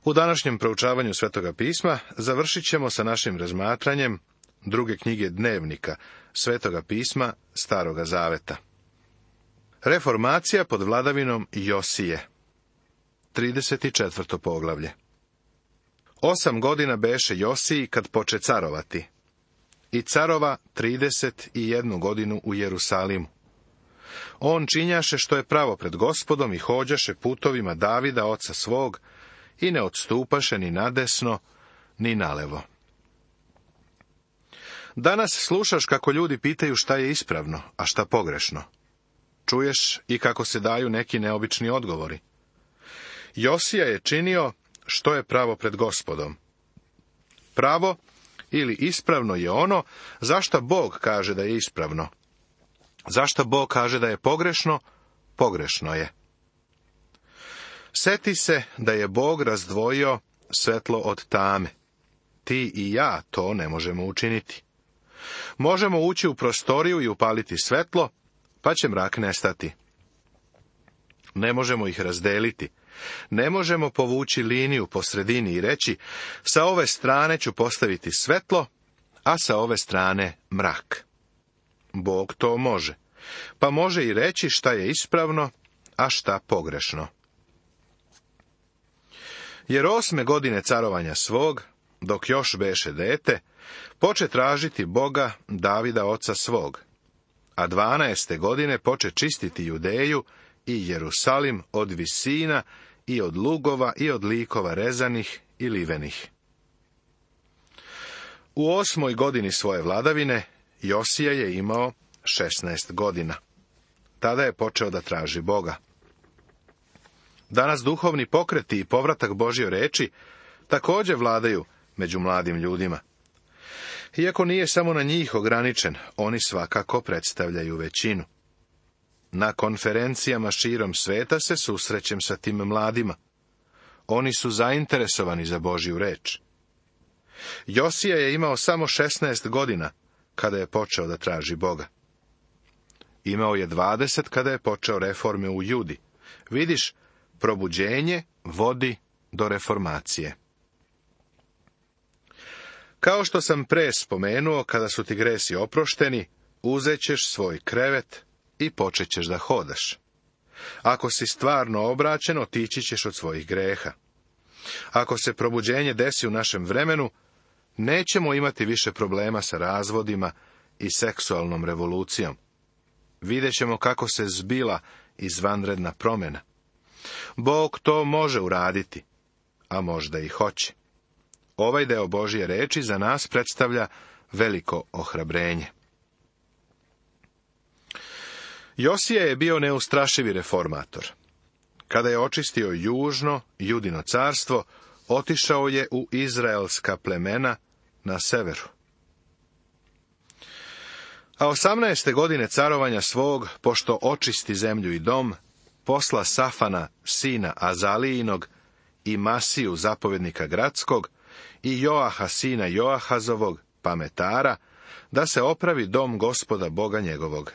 U današnjem proučavanju Svetoga pisma završit ćemo sa našim razmatranjem druge knjige Dnevnika Svetoga pisma Staroga zaveta. Reformacija pod vladavinom Josije. 34. poglavlje. 8 godina beše Josiji kad poče carovati. I carova 31 godinu u Jerusalimu. On činjaše što je pravo pred Gospodom i hođaše putovima Davida, oca svog, i ne odstupaše ni nadesno, ni nalevo. Danas slušaš kako ljudi pitaju šta je ispravno, a šta pogrešno. Čuješ i kako se daju neki neobični odgovori. Josija je činio što je pravo pred Gospodom. Pravo ili ispravno je ono zašta Bog kaže da je ispravno. Zašta Bog kaže da je pogrešno, pogrešno je. Seti se da je Bog razdvojio svetlo od tame. Ti i ja to ne možemo učiniti. Možemo ući u prostoriju i upaliti svetlo, pa će mrak nestati. Ne možemo ih razdeliti. Ne možemo povući liniju po sredini i reći, sa ove strane ću postaviti svetlo, a sa ove strane mrak. Bog to može, pa može i reći šta je ispravno, a šta pogrešno. Jer 8. godine carovanja svog, dok još beše dete, poče tražiti Boga Davida oca svog, a 12. godine poče čistiti Judeju i Jerusalim od visina i od lugova i od likova rezanih i livenih. U 8. godini svoje vladavine Josija je imao 16 godina. Tada je počeo da traži Boga. Danas duhovni pokreti i povratak Božje reči također vladaju među mladim ljudima. Iako nije samo na njih ograničen, oni svakako predstavljaju većinu. Na konferencijama širom sveta se susrećem sa tim mladima. Oni su zainteresovani za Božju reč. Josija je imao samo 16 godina kada je počeo da traži Boga. Imao je 20 kada je počeo reforme u Judi. Vidiš, probuđenje vodi do reformacije. Kao što sam pre spomenuo, kada su ti gresi oprošteni, uzet ćeš svoj krevet i počet ćeš da hodaš. Ako si stvarno obraćen, otići ćeš od svojih greha. Ako se probuđenje desi u našem vremenu, nećemo imati više problema sa razvodima i seksualnom revolucijom. Vidjet ćemo kako se zbila izvanredna promjena. Bog to može uraditi, a možda i hoće. Ovaj deo Božje reči za nas predstavlja veliko ohrabrenje. Josija je bio neustrašivi reformator. Kada je očistio južno Judino carstvo, otišao je u izraelska plemena na severu. A 18. godine carovanja svog, pošto očisti zemlju i dom, posla Safana, sina Azalijinog, i Masiju, zapovjednika gradskog, i Joaha, sina Joahazovog, pametara, da se opravi dom Gospoda Boga njegovog.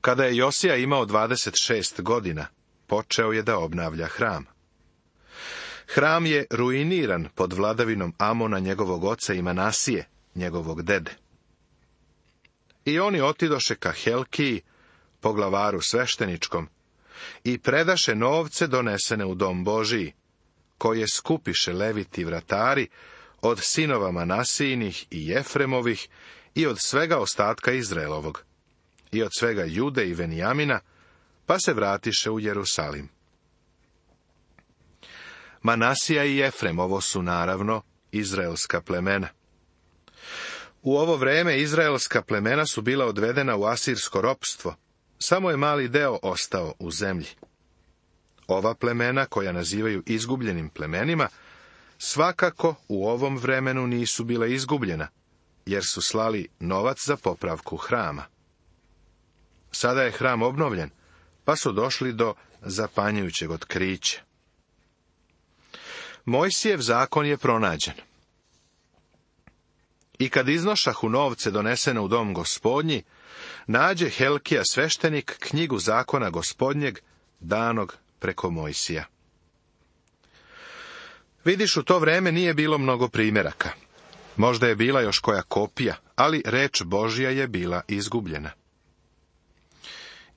Kada je Josija imao 26 godina, počeo je da obnavlja hram. Hram je ruiniran pod vladavinom Amona, njegovog oca, i Manasije, njegovog dede. I oni otidoše ka Helkiji, poglavaru svešteničkom, i predaše novce donesene u dom Božiji, koje skupiše leviti vratari od sinova Manasijinih i Jefremovih i od svega ostatka Izraelovog, i od svega Jude i Venijamina, pa se vratiše u Jerusalim. Manasija i Jefrem, ovo su naravno izraelska plemena. U ovo vreme izraelska plemena su bila odvedena u asirsko ropstvo, samo je mali deo ostao u zemlji. Ova plemena, koja nazivaju izgubljenim plemenima, svakako u ovom vremenu nisu bila izgubljena, jer su slali novac za popravku hrama. Sada je hram obnovljen, pa su došli do zapanjujućeg otkrića. Mojsijev zakon je pronađen. I kad iznošahu novce donesene u dom Gospodnji, nađe Helkija sveštenik knjigu zakona Gospodnjeg, danog preko Mojsija. Vidiš, u to vreme nije bilo mnogo primjeraka. Možda je bila još koja kopija, ali reč Božja je bila izgubljena.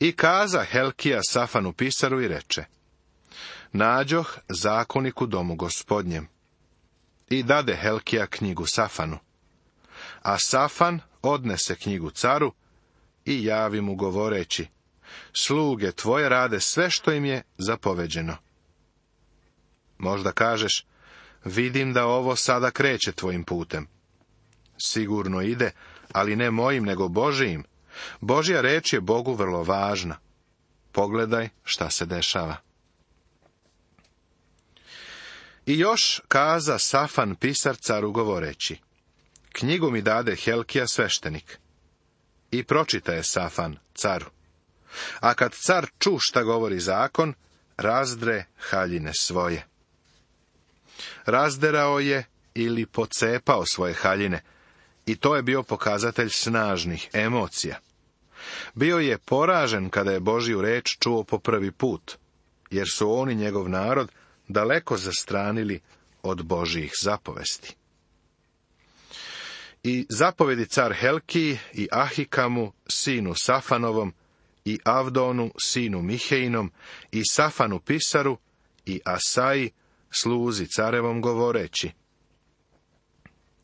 I kaza Helkija Safanu pisaru i reče: nađoh zakonik u domu Gospodnjem. I dade Helkija knjigu Safanu. A Safan odnese knjigu caru i javi mu govoreći: sluge tvoje rade sve što im je zapoveđeno. Možda kažeš: vidim da ovo sada kreće tvojim putem. Sigurno ide, ali ne mojim, nego Božijim. Božja reč je Bogu vrlo važna. Pogledaj šta se dešava. I još kaza Safan pisar caru govoreći: knjigu mi dade Helkija sveštenik. I pročita je Safan caru. A kad car ču šta govori zakon, razdre haljine svoje. Razderao je ili pocepao svoje haljine, i to je bio pokazatelj snažnih emocija. Bio je poražen kada je Božju reč čuo po prvi put, jer su on i njegov narod daleko zastranili od Božjih zapovesti. I zapovedi car Helkiji i Ahikamu, sinu Safanovom, i Avdonu, sinu Mihejnom, i Safanu pisaru, i Asaji, sluzi carevom govoreći: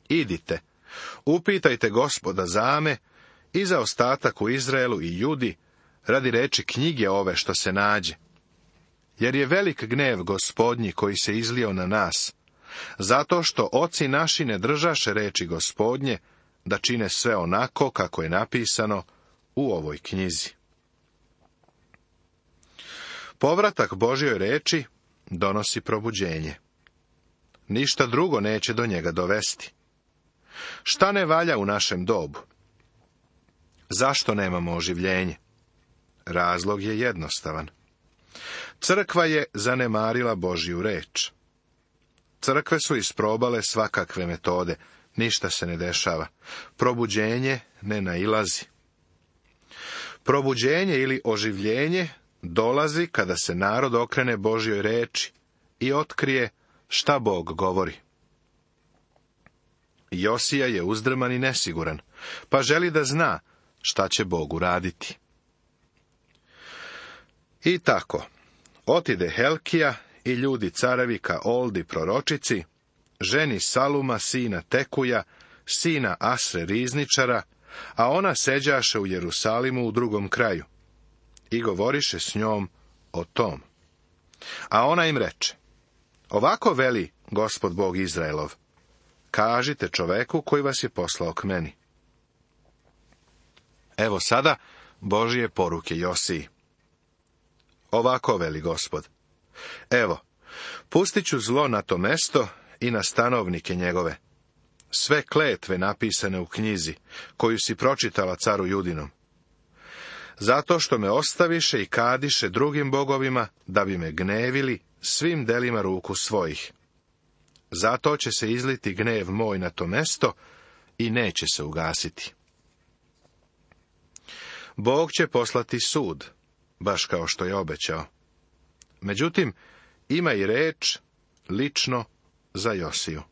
idite, upitajte Gospoda za me i za ostatak u Izraelu i Judi, radi reči knjige ove što se nađe. Jer je velik gnev Gospodnji koji se izlio na nas, zato što oci naši ne držaše reči Gospodnje, da čine sve onako kako je napisano u ovoj knjizi. Povratak Božjoj reči donosi probuđenje. Ništa drugo neće do njega dovesti. Šta ne valja u našem dobu? Zašto nemamo oživljenje? Razlog je jednostavan. Crkva je zanemarila Božju reč. Crkve su isprobale svakakve metode, ništa se ne dešava. Probuđenje ne nailazi. Probuđenje ili oživljenje dolazi kada se narod okrene Božjoj reči i otkrije šta Bog govori. Josija je uzdrman i nesiguran, pa želi da zna šta će Bog uraditi. I tako, otide Helkija i ljudi carevi ka Oldi proročici, ženi Saluma sina Tekuja, sina Asre rizničara, a ona seđaše u Jerusalimu u drugom kraju, i govoriše s njom o tom. A ona im reče: ovako veli Gospod Bog Izraelov, kažite čoveku koji vas je poslao k meni. Evo sada Božje poruke Josiji. Ovako veli Gospod: evo, pustit ću zlo na to mesto i na stanovnike njegove. Sve kletve napisane u knjizi, koju si pročitala caru Judinom. Zato što me ostaviše i kadiše drugim bogovima, da bi me gnevili svim delima ruku svojih. Zato će se izliti gnev moj na to mesto i neće se ugasiti. Bog će poslati sud, baš kao što je obećao. Međutim, ima i reč lično za Josiju.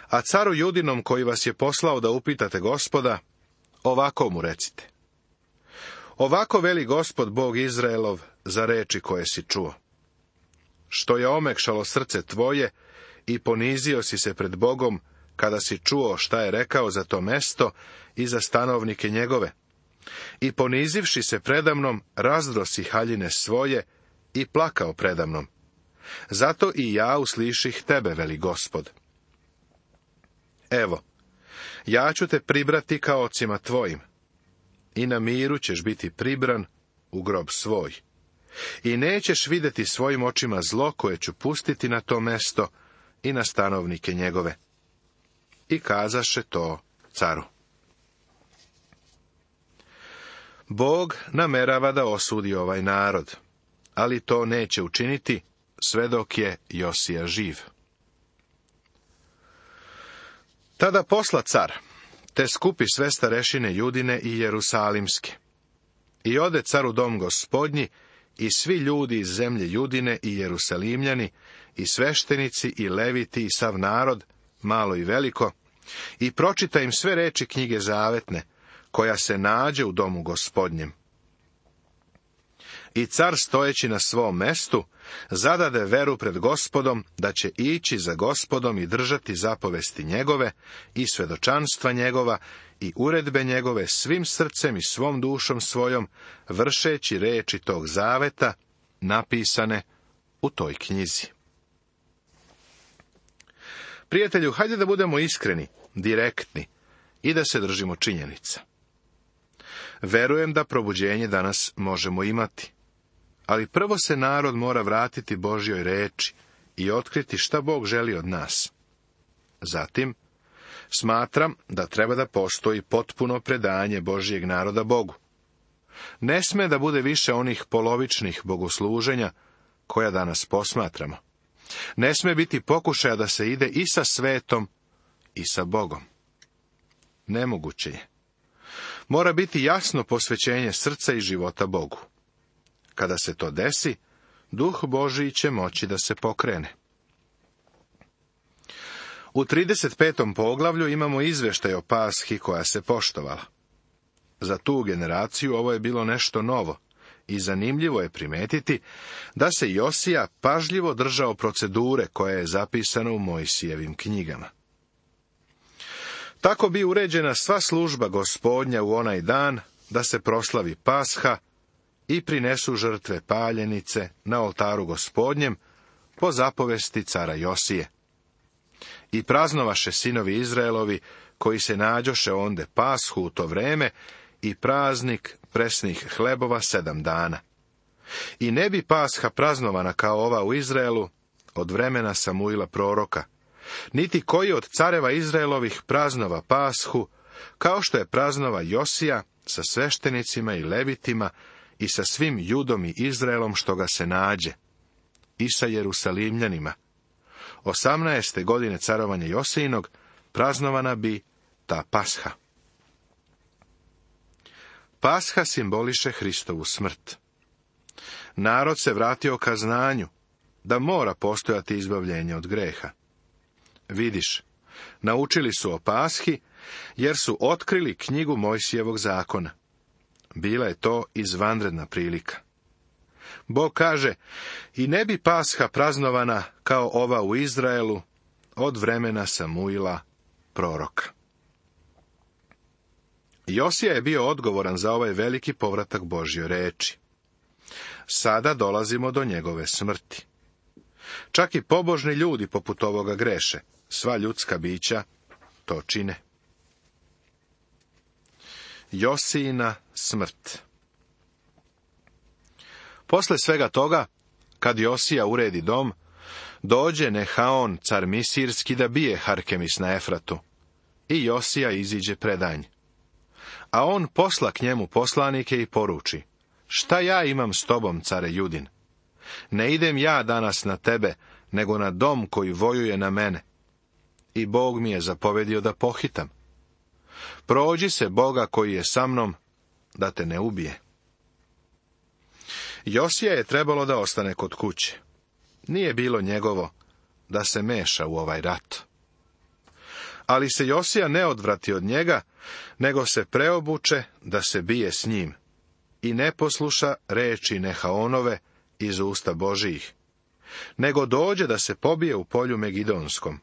A caru Judinom koji vas je poslao da upitate Gospoda, ovako mu recite: ovako veli Gospod Bog Izraelov za reči koje si čuo. Što je omekšalo srce tvoje i ponizio si se pred Bogom kada si čuo šta je rekao za to mesto i za stanovnike njegove. I ponizivši se predamnom, razdro si haljine svoje i plakao predamnom. Zato i ja usliših tebe, veli Gospod. Evo, ja ću te pribrati ka ocima tvojim, i na miru ćeš biti pribran u grob svoj. I nećeš vidjeti svojim očima zlo koje ću pustiti na to mesto i na stanovnike njegove. I kazaše to caru. Bog namerava da osudi ovaj narod, ali to neće učiniti sve dok je Josija živ. Tada posla car, te skupi sve starešine Judine i Jerusalimske. I ode car u dom Gospodnji i svi ljudi iz zemlje Judine i Jerusalimljani, i sveštenici, i leviti, i sav narod, malo i veliko, i pročita im sve reči knjige zavetne, koja se nađe u domu Gospodnjem. I car, stojeći na svom mestu, zadade veru pred Gospodom, da će ići za Gospodom i držati zapovesti njegove, i svedočanstva njegova, i uredbe njegove svim srcem i svom dušom svojom, vršeći reči tog zaveta, napisane u toj knjizi. Prijatelju, hajde da budemo iskreni, direktni i da se držimo činjenica. Verujem da probuđenje danas možemo imati, ali prvo se narod mora vratiti Božjoj reči i otkriti šta Bog želi od nas. Zatim, smatram da treba da postoji potpuno predanje Božjeg naroda Bogu. Ne sme da bude više onih polovičnih bogosluženja koja danas posmatramo. Ne sme biti pokušaja da se ide i sa svetom i sa Bogom. Nemoguće je. Mora biti jasno posvećenje srca i života Bogu. Kada se to desi, Duh Božji će moći da se pokrene. U 35. poglavlju imamo izveštaj o Pashi koja se poštovala. Za tu generaciju ovo je bilo nešto novo i zanimljivo je primetiti da se Josija pažljivo držao procedure koja je zapisana u Mojsijevim knjigama. Tako bi uređena sva služba Gospodnja u onaj dan da se proslavi Pasha i prinesu žrtve paljenice na oltaru Gospodnjem po zapovesti cara Josije. I praznovaše sinovi Izraelovi koji se nađoše onde Pashu u to vreme i praznik presnih hlebova 7 dana. I ne bi Pasha praznovana kao ova u Izraelu od vremena Samuila proroka, niti koji od careva Izraelovih praznova Pashu, kao što je praznova Josija sa sveštenicima i levitima i sa svim Judom i Izraelom što ga se nađe, i sa Jerusalimljanima. 18. godine carovanja Josijinog praznovana bi ta Pasha. Pasha simboliše Hristovu smrt. Narod se vratio ka znanju, da mora postojati izbavljenje od greha. Vidiš, naučili su o Pashi, jer su otkrili knjigu Mojsijevog zakona. Bila je to izvanredna prilika. Bog kaže, i ne bi Pasha praznovana kao ova u Izraelu od vremena Samuila proroka. Josija je bio odgovoran za ovaj veliki povratak Božjoj reči. Sada dolazimo do njegove smrti. Čak i pobožni ljudi poput ovoga greše, sva ljudska bića to čine. Josijina smrt. Posle svega toga, kad Josija uredi dom, dođe Nehaon, car Misirski, da bije Harkemis na Efratu. I Josija iziđe predanj. A on posla k njemu poslanike i poruči, šta ja imam s tobom, care Judin? Ne idem ja danas na tebe, nego na dom koji vojuje na mene. I Bog mi je zapovedio da pohitam. Prođi se Boga koji je sa mnom, da te ne ubije. Josija je trebalo da ostane kod kuće. Nije bilo njegovo da se meša u ovaj rat. Ali se Josija ne odvrati od njega, nego se preobuče da se bije s njim i ne posluša reči Nehaonove iz usta Božijih, nego dođe da se pobije u polju Megidonskom.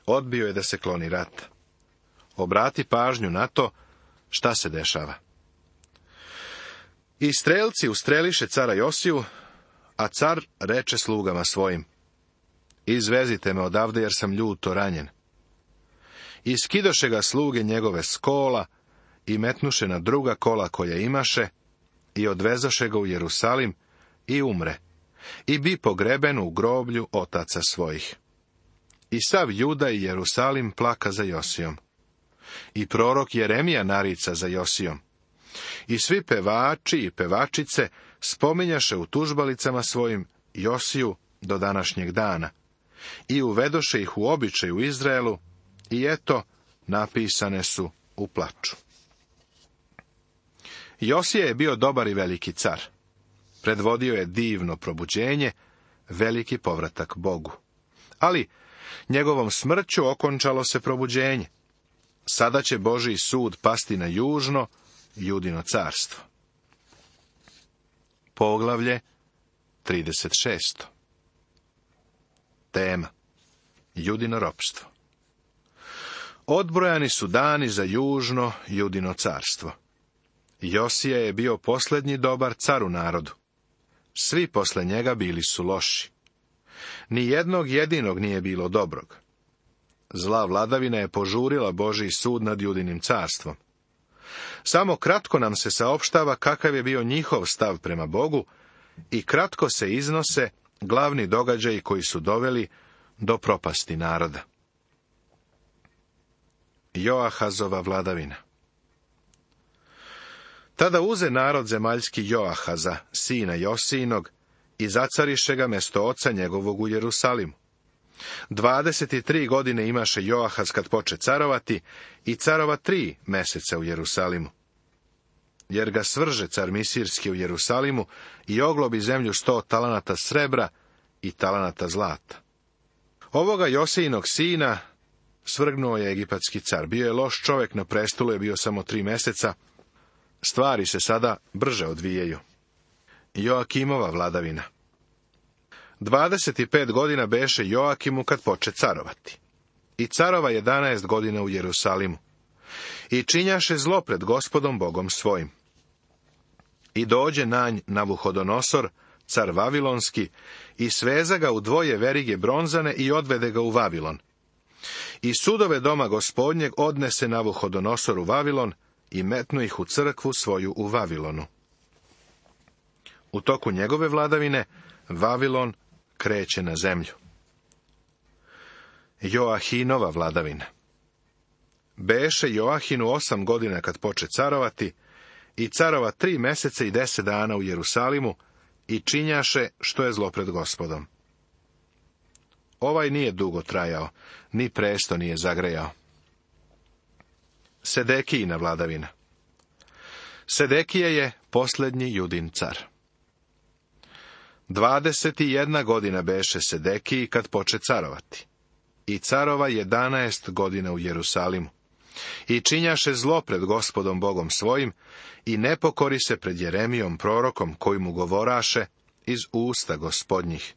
Odbio je da se kloni rata. Obrati pažnju na to šta se dešava. I strelci ustreliše cara Josiju, a car reče slugama svojim, izvezite me odavde jer sam ljuto ranjen. I skidoše ga sluge njegove s kola i metnuše na druga kola koja imaše i odvezoše ga u Jerusalim i umre i bi pogreben u groblju otaca svojih. I sav Juda i Jerusalim plaka za Josijom. I prorok Jeremija narica za Josijom. I svi pevači i pevačice spominjaše u tužbalicama svojim Josiju do današnjeg dana. I uvedoše ih u običaj u Izraelu i eto, napisane su u plaču. Josija je bio dobar i veliki car. Predvodio je divno probuđenje, veliki povratak Bogu. Ali njegovom smrću okončalo se probuđenje. Sada će Božji sud pasti na južno, Judino carstvo. Poglavlje 36. Tema: Judino ropstvo. Odbrojani su dani za južno Judino carstvo. Josija je bio posljednji dobar car u narodu. Svi posle njega bili su loši. Ni jednog jedinog nije bilo dobrog. Zla vladavina je požurila Božji sud nad Judinim carstvom. Samo kratko nam se saopštava kakav je bio njihov stav prema Bogu i kratko se iznose glavni događaji koji su doveli do propasti naroda. Joahazova vladavina. Tada uze narod zemaljski Joahaza, sina Josijinog, i zacariše ga mesto oca njegovog u Jerusalimu. 23 godine imaše Joahaz kad poče carovati i carova 3 meseca u Jerusalimu. Jer ga svrže car Misirski u Jerusalimu i oglobi zemlju 100 talanata srebra i talanata zlata. Ovoga Josijinog sina svrgnuo je egipatski car. Bio je loš čovjek, na prestolu je bio samo 3 meseca. Stvari se sada brže odvijaju. Joakimova vladavina. 25 godina beše Joakimu kad poče carovati. I carova 11 godina u Jerusalimu. I činjaše zlo pred Gospodom Bogom svojim. I dođe na nj Navuhodonosor, car Vavilonski, i sveza ga u 2 verige bronzane i odvede ga u Vavilon. I sudove doma Gospodnjeg odnese Navuhodonosor u Vavilon i metnu ih u crkvu svoju u Vavilonu. U toku njegove vladavine Vavilon kreće na zemlju. Joahinova vladavina. Beše Joahinu 8 godina kad poče carovati i carova 3 meseca i 10 dana u Jerusalimu i činjaše što je zlo pred Gospodom. Ovaj nije dugo trajao, ni presto nije zagrejao. Sedekijina vladavina. Sedekije je posljednji Judin car. 21 godina beše Sedekiji kad poče carovati. I carova 11 godina u Jerusalimu. I činjaše zlo pred Gospodom Bogom svojim i ne pokori se pred Jeremijom prorokom koji mu govoraše iz usta Gospodnjih.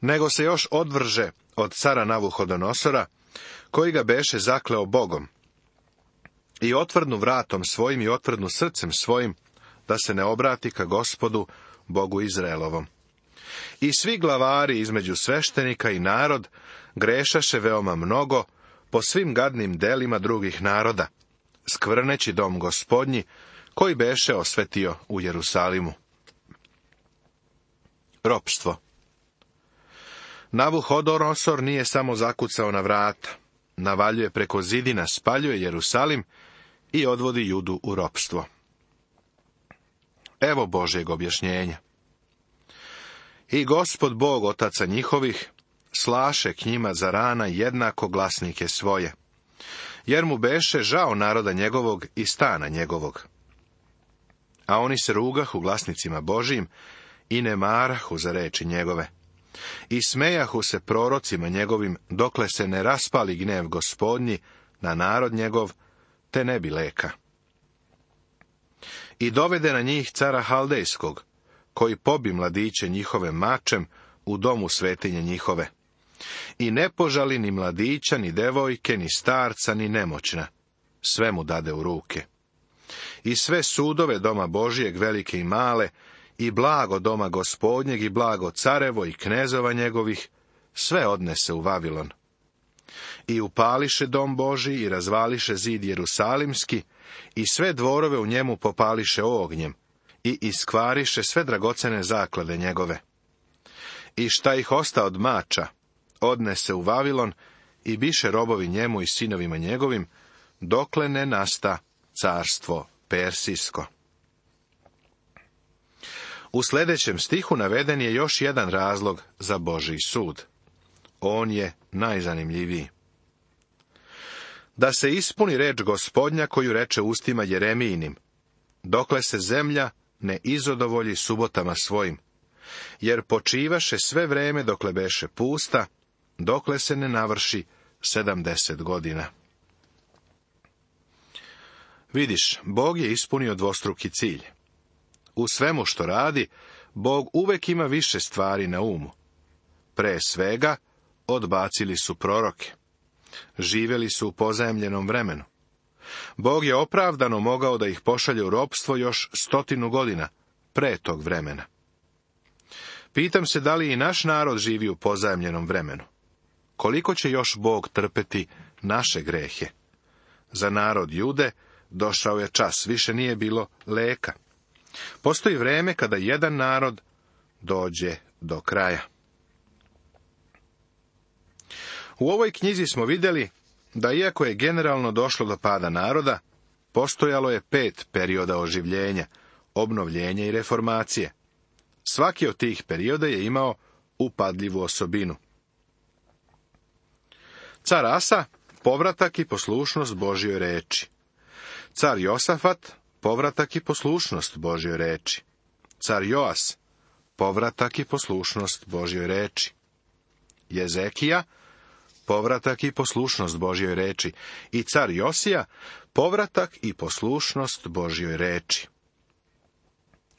Nego se još odvrže od cara Navuhodonosora, koji ga beše zakleo Bogom. I otvrdnu vratom svojim i otvrdnu srcem svojim, da se ne obrati ka Gospodu, Bogu Izraelovom. I svi glavari između sveštenika i narod grešaše veoma mnogo po svim gadnim delima drugih naroda, skvrneći dom Gospodnji, koji beše osvetio u Jerusalimu. Ropstvo. Navuhodonosor nije samo zakucao na vrata, navaljuje preko zidina, spaljuje Jerusalim i odvodi Judu u ropstvo. Evo Božjeg objašnjenja. I Gospod Bog otaca njihovih slaše k njima za rana jednako glasnike svoje, jer mu beše žao naroda njegovog i stana njegovog. A oni se rugahu glasnicima Božijim i ne marahu za reči njegove. I smejahu se prorocima njegovim, dokle se ne raspali gnev Gospodnji na narod njegov, te ne bi leka. I dovede na njih cara Haldejskog, koji pobi mladiće njihove mačem u domu svetinje njihove. I ne požali ni mladića, ni devojke, ni starca, ni nemoćna. Sve mu dade u ruke. I sve sudove doma Božijeg, velike i male, i blago doma Gospodnjeg, i blago carevo i knezova njegovih, sve odnese u Vavilon. I upališe dom Božji i razvališe zid Jerusalimski, i sve dvorove u njemu popališe ognjem, i iskvariše sve dragocene zaklade njegove. I šta ih osta od mača, odnese u Vavilon, i biše robovi njemu i sinovima njegovim, dokle ne nasta carstvo persijsko. U sljedećem stihu naveden je još jedan razlog za Božji sud. On je najzanimljiviji. Da se ispuni reč Gospodnja koju reče ustima Jeremijinim. dokle se zemlja ne izodovolji subotama svojim, jer počivaše sve vreme dokle beše pusta, dokle se ne navrši 70 godina. Vidiš, Bog je ispunio dvostruki cilj. U svemu što radi, Bog uvek ima više stvari na umu. Pre svega, odbacili su proroke. Živjeli su u pozajemljenom vremenu. Bog je opravdano mogao da ih pošalje u ropstvo još 100 godina pre tog vremena. Pitam se da li i naš narod živi u pozajemljenom vremenu. Koliko će još Bog trpeti naše grehe? Za narod Jude došao je čas, više nije bilo leka. Postoji vreme kada jedan narod dođe do kraja. U ovoj knjizi smo vidjeli da iako je generalno došlo do pada naroda, postojalo je 5 perioda oživljenja, obnovljenja i reformacije. Svaki od tih perioda je imao upadljivu osobinu. Car Asa, povratak i poslušnost Božjoj reči. Car Josafat, povratak i poslušnost Božjoj reči. Car Joas, povratak i poslušnost Božjoj reči. Jezekija, povratak i poslušnost Božjoj reči. I car Josija, povratak i poslušnost Božjoj reči.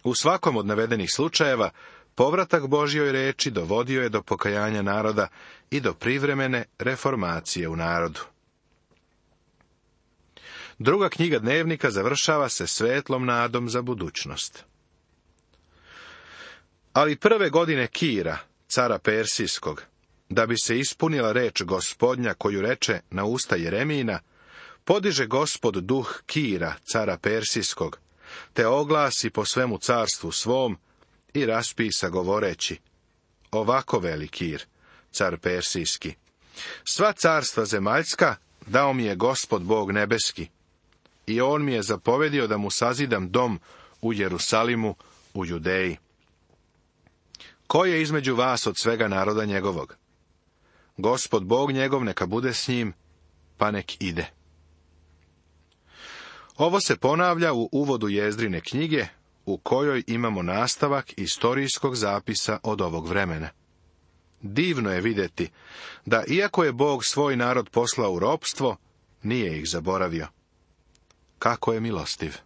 U svakom od navedenih slučajeva, povratak Božjoj reči dovodio je do pokajanja naroda i do privremene reformacije u narodu. Druga knjiga dnevnika završava se svetlom nadom za budućnost. Ali prve godine Kira, cara Persijskog, da bi se ispunila reč Gospodnja koju reče na usta Jeremijina, podiže Gospod duh Kira, cara Persijskog, te oglasi po svemu carstvu svom i raspisa govoreći: ovako veli Kir, car Persijski, sva carstva zemaljska dao mi je Gospod Bog nebeski, i on mi je zapovedio da mu sazidam dom u Jerusalimu, u Judeji. Ko je između vas od svega naroda njegovog? Gospod Bog njegov neka bude s njim, pa nek ide. Ovo se ponavlja u uvodu Jezdrine knjige, u kojoj imamo nastavak istorijskog zapisa od ovog vremena. Divno je vidjeti da iako je Bog svoj narod poslao u ropstvo, nije ih zaboravio. Kako je milostiv!